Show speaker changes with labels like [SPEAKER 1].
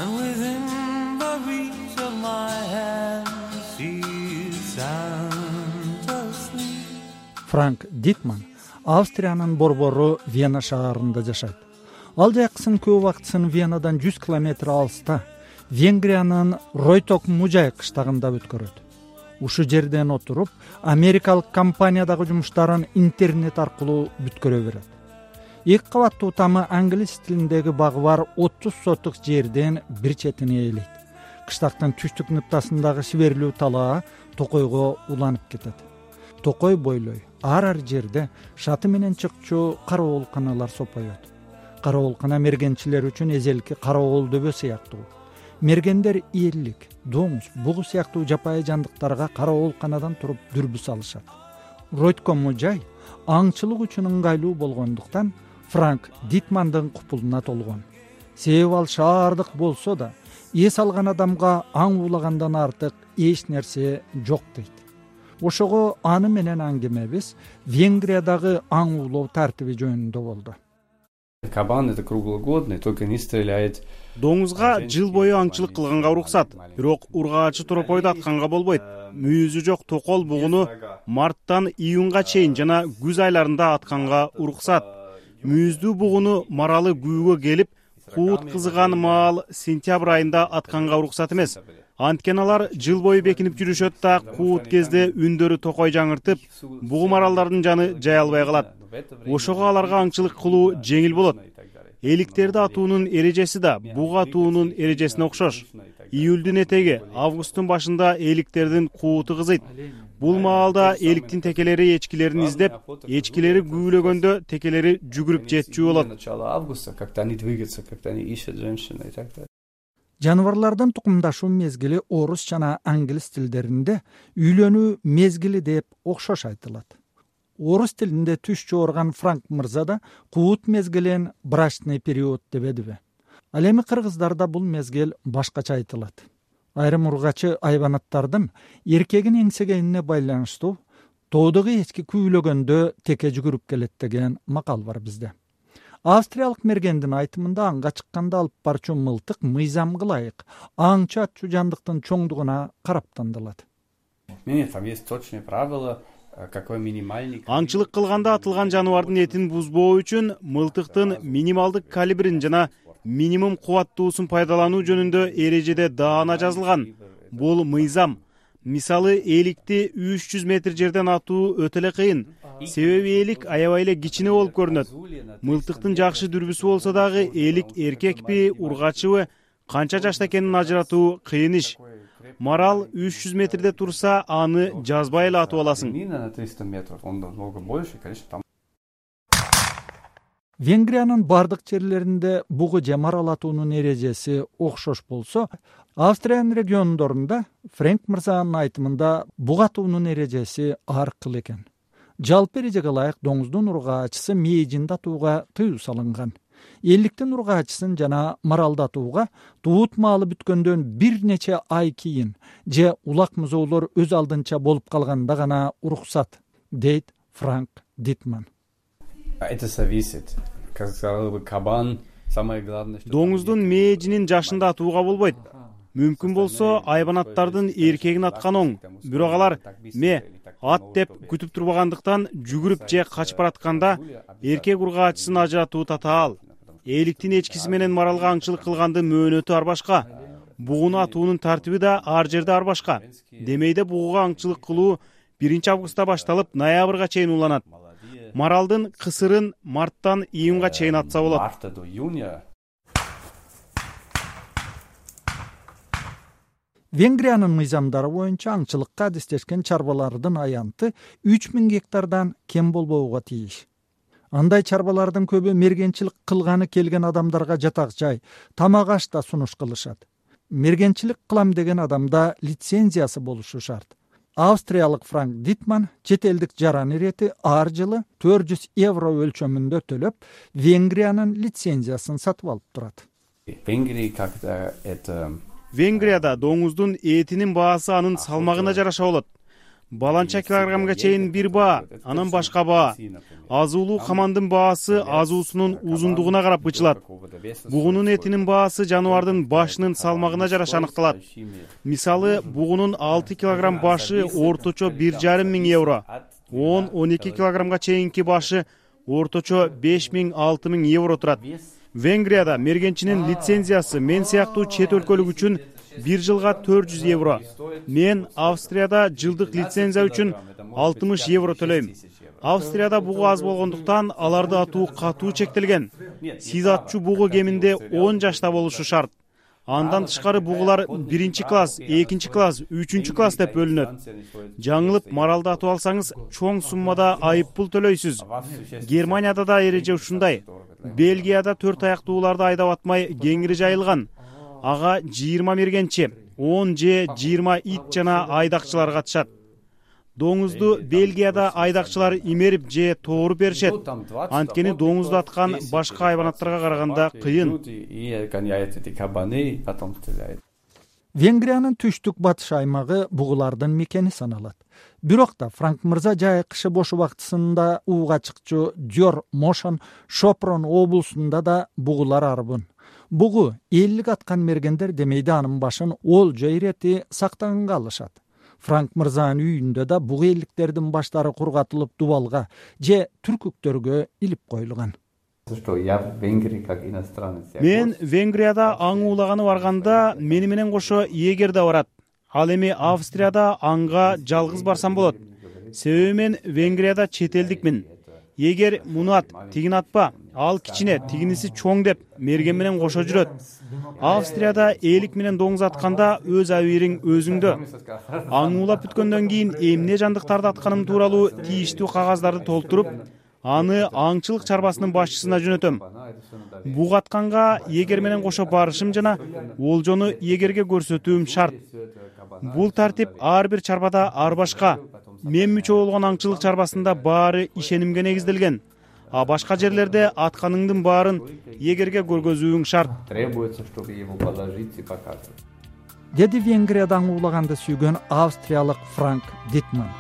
[SPEAKER 1] and within the reach of my hand she's sound asleep.
[SPEAKER 2] Франк Дитман Австриянын борбору Вена шаарында жашайт. Ал жаксын көп убактысын Венадан 100 километр алыста Венгриянын Ройток Мужай кыштагында өткөрөт. Ушу жерден отуруп, америкалык компаниядагы жумуштарын интернет аркылуу бүткөрө берет. 2 кабаттуу тамы англис тилиндеги багы бар 30 сотук жерден бир четине ээлейт. Кыштактын түштүк ныктасындагы шиберлүү талаа токойго уланып кетет. Токой бойлой ар жерде шаты менен чыкчу караоолканалар сопоет. Караоолкана мергенчилер үчүн эзелки караоол дөбө сыяктуу. Мергендер ийерлик, доңуз, бугу сыяктуу жапайы жандыктарга караоолканадан туруп дүрбү салышат. Ройтко Мужай аңчылык үчүн ыңгайлуу болгондуктан Франк Дитмандын купулуна толгон. Себеби ал шаардык болсо да, эс алган адамга аң уулагандан артык эч нерсе жок дейт. Ошого аны менен аңгемебиз Венгриядагы аң уулоо тартиби жөнүндө болду.
[SPEAKER 3] Кабан это круглогодный, только не стреляет.
[SPEAKER 4] Доңузга жыл бою аңчылык кылганга уруксат, бирок ургаачы торопойду атканга болбойт. Мүйүзү жок токол бугуну марттан июнга чейин жана күз айларында атканга уруксат. Мүйүздүү бугуну маралы күүгө келип, куут кызыган маал сентябрь айында атканга уруксат эмес. Анткени алар жыл бою бекинип жүрүшөт да куут кезде үндөрү токой жаңыртып, бугу маралдардын жаны жай албай калат. Ошого аларга аңчылык кылуу жеңил болот. Эликтерди атуунун эрежеси да буг атуунун эрежесине окшош. Июлдун этеги, августтун башында эликтердин кууту кызыйт. Бул маалда эликтин текелери эчкилерин издеп, эчкилери күүлөгөндө текелери жүгүрүп жетчү болот.
[SPEAKER 2] Жаныбарлардын тукумдашуу мезгили орус жана англис тилдеринде үйлөнүү мезгили деп окшош айтылат. Орус тилинде түш жоорган Франк мырза да куут мезгилин брачный период дебедиби. Ал эми кыргыздарда бул мезгил башкача айтылат. Айрым ургачы айбанаттардын эркегин эңсегенине байланыштуу тоодогу эчки күүлөгөндө теке жүгүрүп келет деген макал бар бизде. Австриялык мергендин айтымында аңга чыкканда алып барчу мылтык мыйзамга ылайык аңчы атчу жандыктын чоңдугуна карап тандалат.
[SPEAKER 3] Там есть точные правила.
[SPEAKER 4] Аңчылык кылганда атылган жаныбардын этин бузбоо үчүн мылтыктын минималдык калибрин жана минимум кубаттуусун пайдалануу жөнүндө эрежеде даана жазылган. Бул мыйзам. Мисалы, эликти 300 метр жерден атуу өтө эле кыйын. Себеби элик аябай эле кичине болуп көрүнөт. Мылтыктын жакшы дүрбүсү болсо дагы элик эркекпи, ургачыбы, канча жашта экенин ажыратуу кыйын иш. Марал 300 метрде турса, аны жазбай эле атып аласың.
[SPEAKER 2] Венгриянын бардык жерлеринде бугу же марал атуунун эрежеси окшош болсо, Австриянын региондорунда Франк мырзанын айтымында буг атуунун эрежеси ар кыл экен. Жалпы эрежеге ылайык доңуздун ургаачысы мейжинде атууга тыюу салынган. Эликтин ургаачысын жана маралды атууга туут маалы бүткөндөн бир нече ай кийин же улак музоолор өз алдынча болуп калганда гана уруксат, дейт Франк Дитман.
[SPEAKER 3] Это зависит. Как сказал бы Кабан, самое главное, что
[SPEAKER 4] доңуздун мээжинин жашында атууга болбойт. Мүмкүн болсо айбанаттардын эркегин аткан оң. Бирок алар ат деп күтүп турбагандыктан жүгүрүп же качып баратканда эркек ургаачысын ажыратуу татаал. Эликтин эчкиси менен маралга аңчылык кылгандын мөөнөтү ар башка. Бугуну атуунун тартиби да ар жерде ар башка. Демейде бугуга аңчылык кылуу 1 августта башталып ноябрга чейин уланат. Маралдын кысырын марттан июнга чейин атса болот.
[SPEAKER 2] Венгриянын мыйзамдары боюнча аңчылыкка адистешкен чарбалардын аянты 3000 гектардан кем болбоого тийиш. Андай чарбалардын көбү мергенчилик кылганы келген адамдарга жатак жай, тамак аш да сунуш кылышат. Мергенчилик кылам деген адамда лицензиясы болушу шарт. Австриялык Франк Дитман чет элдик жаран ирети ар жылы 400 евро өлчөмүндө төлөп, Венгриянын лицензиясын сатып алып турат.
[SPEAKER 4] Венгрияда доңуздун этинин баасы анын салмагына жараша болот. баланча килограммга чейин бир баа, анан башка баа. Азуулуу камандын баасы азуусунун узундугуна карап ычылат. Бугунун этинин баасы жаныбардын башынын салмагына жараша аныкталат. Мисалы, бугунун 6 килограмм башы орточо 1,5 миң евро, 10-12 килограммга чейинки башы орточо 5 миң-6 миң евро турат. Венгрияда мергенчинин лицензиясы мен сыяктуу чет өлкөлүк үчүн 1 жылга 400 евро. Мен Австрияда жылдык лицензия үчүн 60 евро төлөйм. Австрияда бугу аз болгондуктан аларды атуу катуу чектелген. Сиз атчу бугу кеминде 10 жашта болушу шарт. Андан тышкары бугулар 1-класс, 2-класс, 3-класс деп бөлүнөт. Жаңылып маралды атып алсаңыз, чоң суммада айыппул төлөйсүз. Германияда да эреже ушундай. Бельгияда 4 аяктууларды айдап атмай кеңири жайылган. Ага 20 мергенчи, 10 же 20 ит жана айдакчылар катышат. Доңузду Бельгияда айдакчылар имерип же тооруп беришет. Анткени доңузду аткан башка хайванаттарга караганда кыйын.
[SPEAKER 2] Венгриянын түштүк батыш аймагы бугулардын мекени саналат. Бирок да Франк мырза жай кышы бош убактысында ууга чыкчу Дьор Мошон Шопрон облусунда да бугулар арбын. Бугу эллик аткан мергендер демейди анын башын олжо ирети сактаганга алышат. Франк мырзанын үйүндө да бугу элликтердин баштары кургатылып дубалга же түркүктөргө илип коюлган.
[SPEAKER 4] Мен Венгрияда аң уулаганы барганда мени менен кошо эгер да барат. Ал эми Австрияда аңга жалгыз барсам болот. Себеби мен Венгрияда чет элдикмин. Эгер муну ат, тигин атпа, ал кичине, тигиниси чоң деп мерген менен кошо жүрөт. Австрияда элик менен доңуз атканда өз абийириң өзүңдө. Аң уулап бүткөндөн кийин эмне жандыктарды атканым тууралуу тийиштүү кагаздарды толтуруп, аны аңчылык чарбасынын башчысына жөнөтөм. Буг атканга эгер менен кошо барышым жана олжону эгерге көрсөтүүм шарт. Бул тартип ар бир чарбада ар башка. Мен мүчө болгон аңчылык чарбасында баары ишенимге негизделген. А башка жерлерде атканыңдын баарын эгерге көргөзүүң шарт.
[SPEAKER 2] Деди Венгриядан уулаганды сүйгөн австриялык Франк Дитман.